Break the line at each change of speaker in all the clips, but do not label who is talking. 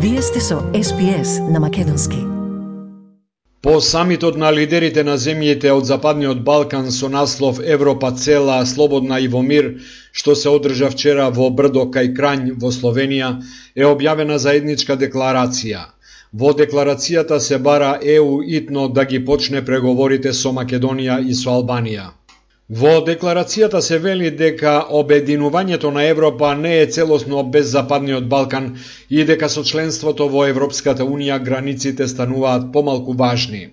Вие сте со SPS на Македонски.
По самитот на лидерите на земјите од Западниот Балкан со наслов Европа цела, слободна и во мир, што се одржа вчера во Брдо кај Крањ во Словенија, е објавена заедничка декларација. Во декларацијата се бара ЕУ итно да ги почне преговорите со Македонија и со Албанија. Во декларацијата се вели дека обединувањето на Европа не е целосно без Западниот Балкан и дека со членството во Европската Унија границите стануваат помалку важни.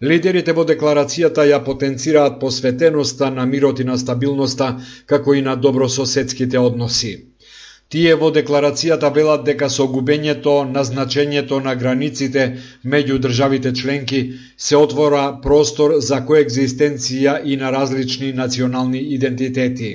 Лидерите во декларацијата ја потенцираат посветеноста на мирот и на стабилноста, како и на добрососедските односи. Тие во декларацијата велат дека со губењето на значењето на границите меѓу државите членки се отвора простор за коегзистенција и на различни национални идентитети.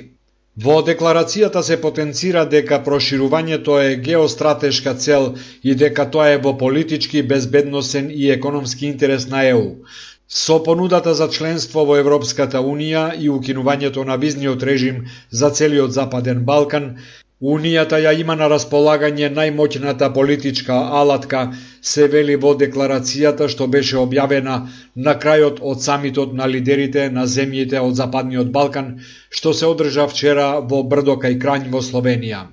Во декларацијата се потенцира дека проширувањето е геостратешка цел и дека тоа е во политички, безбедносен и економски интерес на ЕУ. Со понудата за членство во Европската Унија и укинувањето на визниот режим за целиот Западен Балкан, Унијата ја има на располагање најмоќната политичка алатка, се вели во декларацијата што беше објавена на крајот од самитот на лидерите на земјите од Западниот Балкан, што се одржа вчера во Брдо кај Крањ во Словенија.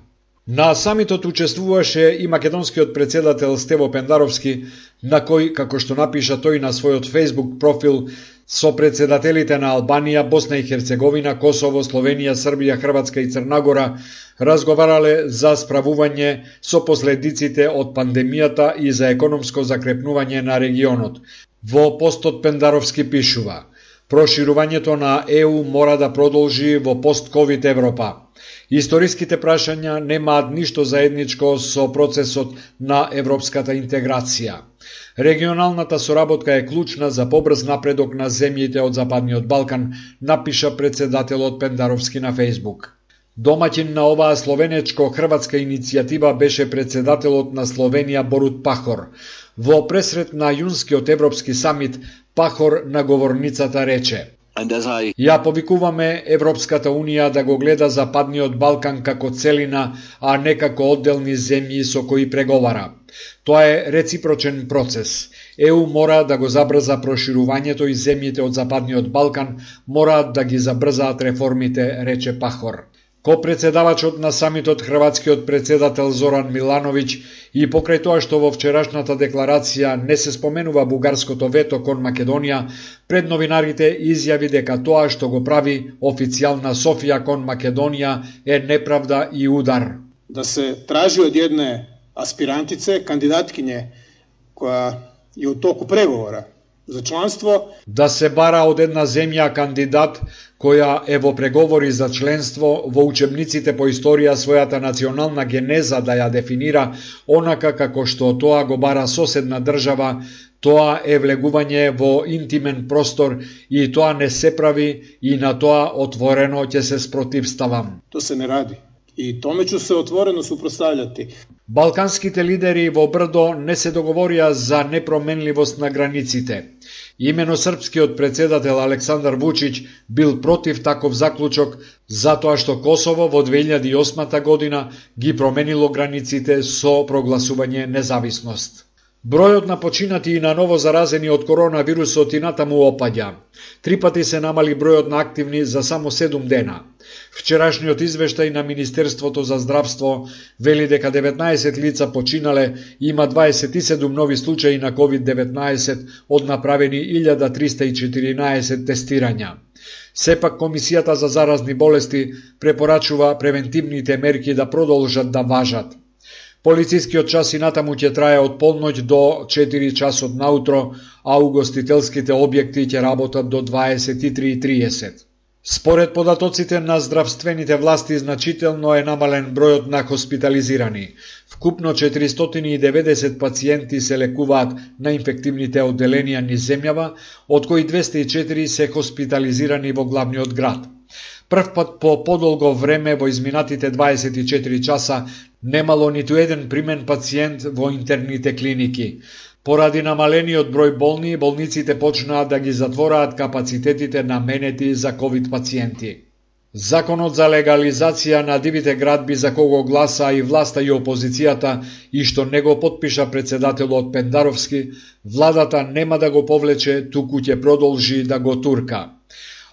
На самитот учествуваше и македонскиот председател Стево Пендаровски, на кој, како што напиша тој на својот Facebook профил, со председателите на Албанија, Босна и Херцеговина, Косово, Словенија, Србија, Хрватска и Црна Гора разговарале за справување со последиците од пандемијата и за економско закрепнување на регионот. Во постот Пендаровски пишува: проширувањето на ЕУ мора да продолжи во пост-ковид Европа. Историските прашања немаат ништо заедничко со процесот на европската интеграција. Регионалната соработка е клучна за побрз напредок на земјите од Западниот Балкан, напиша председателот Пендаровски на Фейсбук. Домаќин на оваа словенечко-хрватска иницијатива беше председателот на Словенија Борут Пахор. Во пресрет на јунскиот европски самит, Пахор на говорницата рече: ја повикуваме Европската Унија да го гледа Западниот Балкан како целина, а не како одделни земји со кои преговара. Тоа е реципрочен процес. ЕУ мора да го забрза проширувањето и земјите од Западниот Балкан мораат да ги забрзаат реформите, рече Пахор. Ко-председавачот на самитот, хрватскиот председател Зоран Милановиќ, и покрај тоа што во вчерашната декларација не се споменува бугарското вето кон Македонија, пред новинарите изјави дека тоа што го прави официјална Софија кон Македонија е неправда и удар.
Да се тражи од едне аспирантице, кандидаткиње, која е у току преговора за членство,
да се бара од една земја кандидат која е во преговори за членство, во учебниците по историја својата национална генеза да ја дефинира онака како што тоа го бара соседна држава, тоа е влегување во интимен простор и тоа не се прави и на тоа отворено ќе се спротивставам.
То се не ради. И томе ќе се отворено супроставljati.
Балканските лидери во Брдо не се договорија за непроменливост на границите. Имено српскиот председател Александар Вучиќ бил против таков заклучок, затоа што Косово во 2008 година ги променило границите со прогласување независност. Бројот на починати и на ново заразени од коронавирусот и натаму опаѓа. 3 пати се намали бројот на активни за само 7 дена. Вчерашниот извештај на Министерството за здравство вели дека 19 лица починале и има 27 нови случаи на COVID-19 од направени 1314 тестирања. Сепак Комисијата за заразни болести препорачува превентивните мерки да продолжат да важат. Полицискиот час и натаму ќе трае од полноќ до 4 часот наутро, а угостителските објекти ќе работат до 23:30. Според податоците на здравствените власти, значително е намален бројот на хоспитализирани. Вкупно 490 пациенти се лекуваат на инфективните одделенија низ земјава, од кои 204 се хоспитализирани во главниот град. Прв пат по подолго време во изминатите 24 часа немало ниту еден примен пациент во интерните клиники. Поради намалениот број болни, болниците почнаа да ги затвораат капацитетите наменети за ковид пациенти. Законот за легализација на дивите градби за кого гласа и власта и опозицијата и што не го потпиша председателот Пендаровски, владата нема да го повлече, туку ќе продолжи да го турка.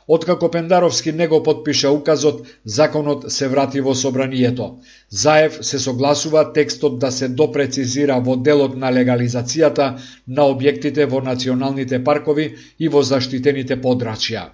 Откако Пендаровски не го потпиша указот, законот се врати во собранието. Заев се согласува текстот да се допрецизира во делот на легализацијата на објектите во националните паркови и во заштитените подрачја.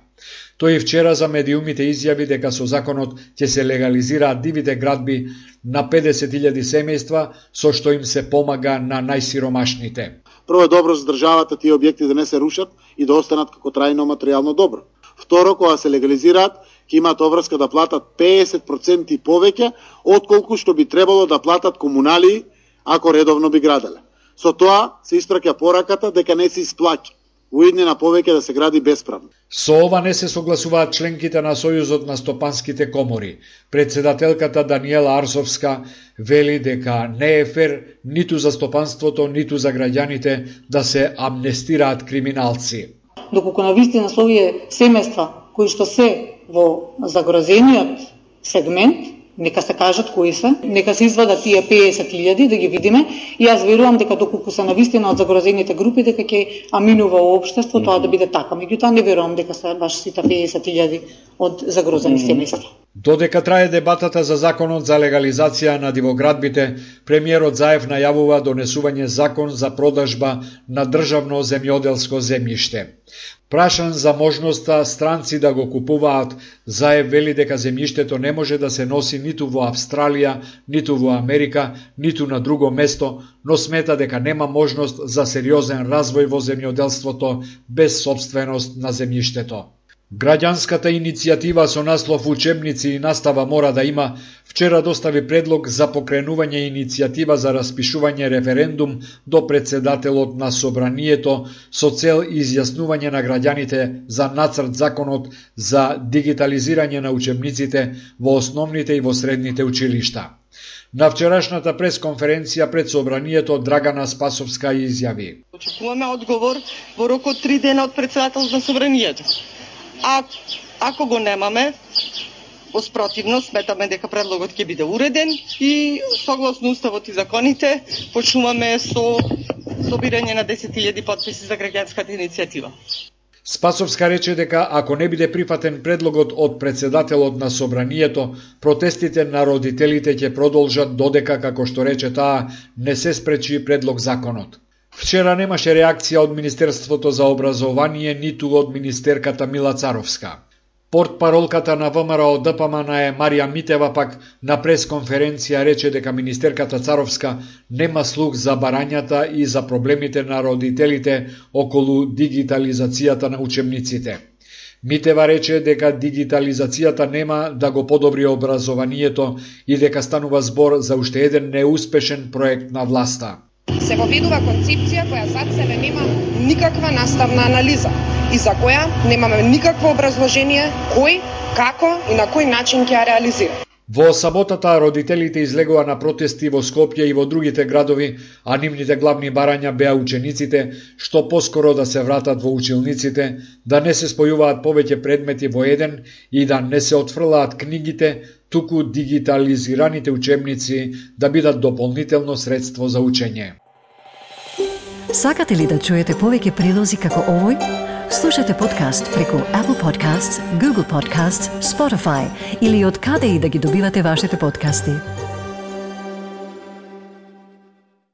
Тој вчера за медиумите изјави дека со законот ќе се легализираат дивите градби на 50.000 семејства, со што им се помага на најсиромашните.
Прво е добро за државата тие објекти да не се рушат и да останат како трајно материјално добро. Второ, кога се легализираат, ќе имаат обврска да платат 50% повеќе отколку што би требало да платат комунали ако редовно би граделе. Со тоа се испраќа пораката дека не се исплаќа уиднина повеќе да се гради бесправно.
Со ова не се согласуваат членките на Сојузот на стопанските комори. Председателката Даниела Арсовска вели дека не е фер ниту за стопанството, ниту за граѓаните да се амнестираат криминалци.
Доколку навистина со овие семејства кои што се во загрозениот сегмент, нека се кажат кои се, нека се извадат тие 50.000 да ги видиме и јас верувам дека доколку се навистина од загрозените групи дека ќе аминува општество тоа да биде така. Меѓутоа не верувам дека се баш сите 50.000 од загрозени семејства.
Додека трае дебатата за законот за легализација на дивоградбите, премиерот Заев најавува донесување закон за продажба на државно земјоделско земјиште. Прашан за можноста странци да го купуваат, Заев вели дека земјиштето не може да се носи ниту во Австралија, ниту во Америка, ниту на друго место, но смета дека нема можност за сериозен развој во земјоделството без собственост на земјиштето. Граѓанската иницијатива со наслов Учебници и настава мора да има вчера достави предлог за покренување иницијатива за распишување референдум до председателот на собранието со цел изјаснување на граѓаните за нацрт законот за дигитализирање на учебниците во основните и во средните училишта. На вчерашната пресконференција пред собранието Драгана Спасовска изјави:
Очекуваме одговор во рок од 3 дена од председателот на собранието. Ако го немаме, воспротивно сметаме дека предлогот ќе биде уреден и согласно уставот и законите почнуваме со собирање на 10.000 потписи за граѓанската иницијатива.
Спасовска рече дека ако не биде прифатен предлогот од председателот на собранието, протестите на родителите ќе продолжат додека, како што рече таа, не се спречи предлог законот. Вчера немаше реакција од Министерството за образование, ниту од министерката Мила Царовска. Портпаролката на ВМРО ДПМН е Марија Митева пак на пресконференција рече дека министерката Царовска нема слух за барањата и за проблемите на родителите околу дигитализацијата на учебниците. Митева рече дека дигитализацијата нема да го подобри образованието и дека станува збор за уште еден неуспешен проект на власта.
Се воведува концепција која зад себе нема никаква наставна анализа и за која немаме никакво образложение кој, како и на кој начин ќе ја реализира.
Во саботата родителите излегува на протести во Скопје и во другите градови, а нивните главни барања беа учениците што поскоро да се вратат во училниците, да не се спојуваат повеќе предмети во еден и да не се отфрлаат книгите, туку дигитализираните учебници да бидат дополнително средство за учење.
Сакате ли да чуете повеќе прилози како овој? Слушате подкаст преку Apple Podcasts, Google Podcasts, Spotify или од каде и да ги добивате вашите подкасти.